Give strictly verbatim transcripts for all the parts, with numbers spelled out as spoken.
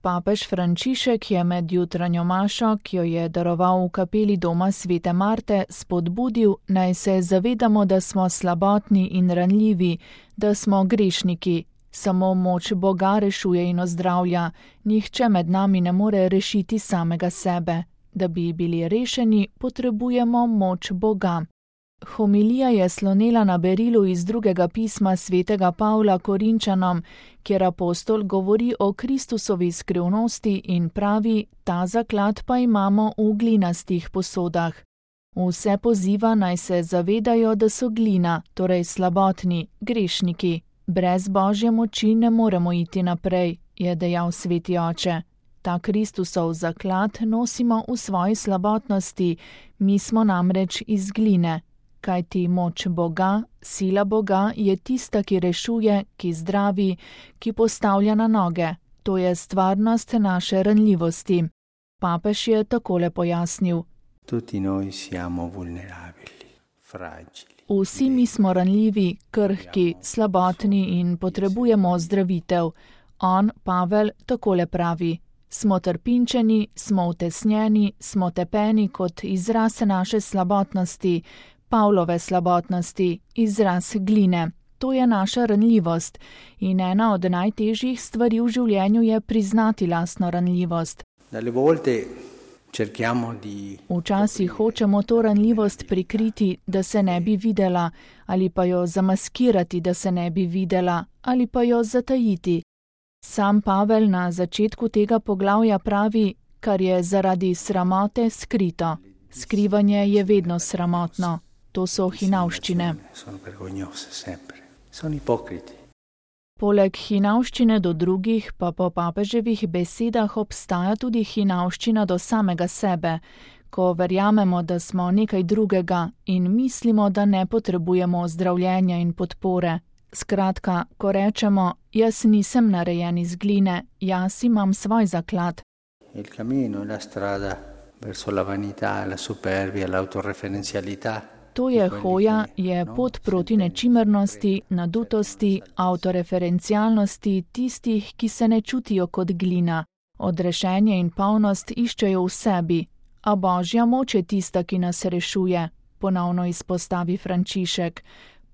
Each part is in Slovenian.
Papež Frančišek je med jutranjo mašo, ki jo je daroval v kapeli doma svete Marte, spodbudil, naj se zavedamo, da smo slabotni in ranljivi, da smo grešniki. Samo moč Boga rešuje in ozdravlja, nihče med nami ne more rešiti samega sebe. Da bi bili rešeni, potrebujemo moč Boga. Homilija je slonela na berilu iz drugega pisma svetega Pavla Korinčanom, kjer apostol govori o Kristusovi skrivnosti in pravi, ta zaklad pa imamo v glinastih posodah. Vse poziva naj se zavedajo, da so glina, torej slabotni, grešniki. Brez Božje moči ne moremo iti naprej, je dejal sveti oče. Ta Kristusov zaklad nosimo v svoji slabotnosti, mi smo namreč iz gline. Kajti moč Boga, sila Boga je tista, ki rešuje, ki zdravi, ki postavlja na noge. To je stvarnost naše ranljivosti. Papež je takole pojasnil. Tutti noi siamo vulnerabili, fragili. Vsi mi smo ranljivi, krhki, slabotni in potrebujemo ozdravitev. On, Pavel, takole pravi. Smo trpinčeni, smo utesnjeni, smo tepeni kot izraz naše slabotnosti, Pavlove slabotnosti, izraz gline. To je naša ranljivost in ena od najtežjih stvari v življenju je priznati lastno ranljivost. Včasih hočemo to ranljivost prikriti, da se ne bi videla, ali pa jo zamaskirati, da se ne bi videla, ali pa jo zatajiti. Sam Pavel na začetku tega poglavja pravi, kar je zaradi sramote skrito. Skrivanje je vedno sramotno. To so hinavščine. Poleg hinavščine do drugih pa po papeževih besedah obstaja tudi hinavščina do samega sebe, ko verjamemo, da smo nekaj drugega in mislimo, da ne potrebujemo ozdravljenja in podpore. Skratka, ko rečemo, jaz nisem narejen iz gline, jaz imam svoj zaklad. Il cammino, la strada verso la vanità, la superbia, l'autoreferenzialità. To je hoja, je pot proti nečimrnosti, nadutosti, avtoreferencialnosti tistih, ki se ne čutijo kot glina. Odrešenje in polnost iščejo v sebi, a Božja moč je tista, ki nas rešuje, ponovno izpostavi Frančišek.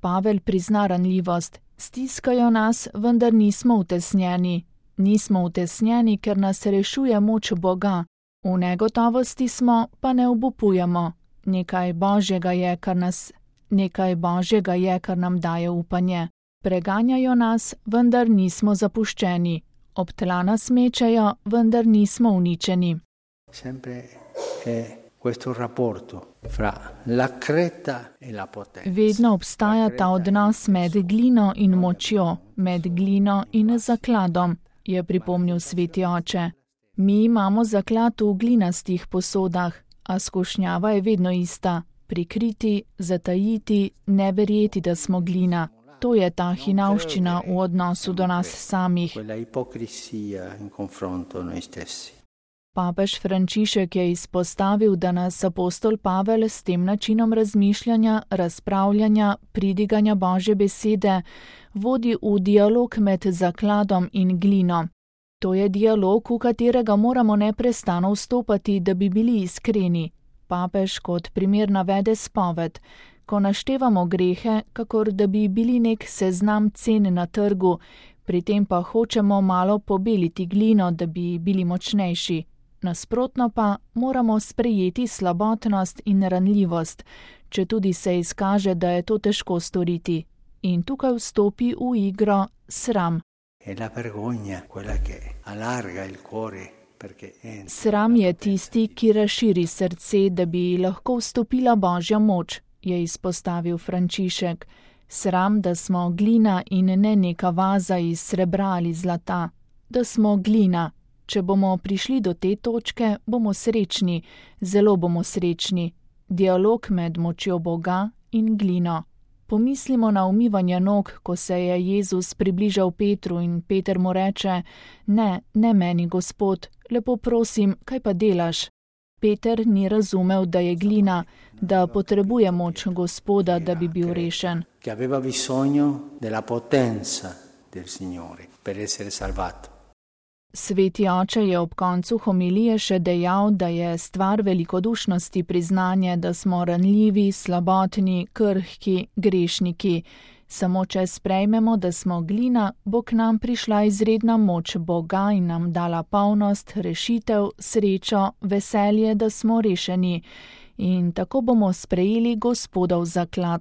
Pavel prizna ranljivost. Stiskajo nas, vendar nismo utesnjeni. Nismo utesnjeni, ker nas rešuje moč Boga. V negotovosti smo, pa ne obupujemo. Nekaj Božjega je, kar nas, nekaj Božjega je, kar nam daje upanje. Preganjajo nas, vendar nismo zapuščeni. Ob tla nas mečejo, vendar nismo uničeni. Sempre è questo rapporto fra la creta e la potenza. Vedno obstaja ta odnos med glino in močjo, med glino in zakladom, je pripomnil sveti oče. Mi imamo zaklad v glinastih posodah, a skušnjava je vedno ista. Prikriti, zatajiti, ne verjeti, da smo glina. To je ta hinavščina v odnosu do nas samih. Papež Frančišek je izpostavil, da nas apostol Pavel s tem načinom razmišljanja, razpravljanja, pridiganja Božje besede vodi v dialog med zakladom in glino. To je dialog, v katerega moramo neprestano vstopati, da bi bili iskreni. Papež kot primer navede spoved. Ko naštevamo grehe, kakor da bi bili nek seznam cen na trgu, pri tem pa hočemo malo pobeliti glino, da bi bili močnejši. Nasprotno pa moramo sprejeti slabotnost in ranljivost, če tudi se izkaže, da je to težko storiti. In tukaj vstopi v igro sram. Sram je tisti, ki razširi srce, da bi lahko vstopila Božja moč, je izpostavil Frančišek. Sram, da smo glina in ne neka vaza iz srebra ali zlata. Da smo glina. Če bomo prišli do te točke, bomo srečni, zelo bomo srečni. Dialog med močjo Boga in glino. Pomislimo na umivanje nog, ko se je Jezus približal Petru in Peter mu reče, ne, ne meni, Gospod, lepo prosim, kaj pa delaš? Peter ni razumel, da je glina, da potrebuje moč Gospoda, da bi bil rešen. Che aveva bisogno della potenza del Signore per essere salvato. Sveti oče je ob koncu homilije še dejal, da je stvar velikodušnosti priznanje, da smo ranljivi, slabotni, krhki, grešniki. Samo če sprejmemo, da smo glina, bo k nam prišla izredna moč Boga in nam dala polnost, rešitev, srečo, veselje, da smo rešeni. In tako bomo sprejeli Gospodov zaklad.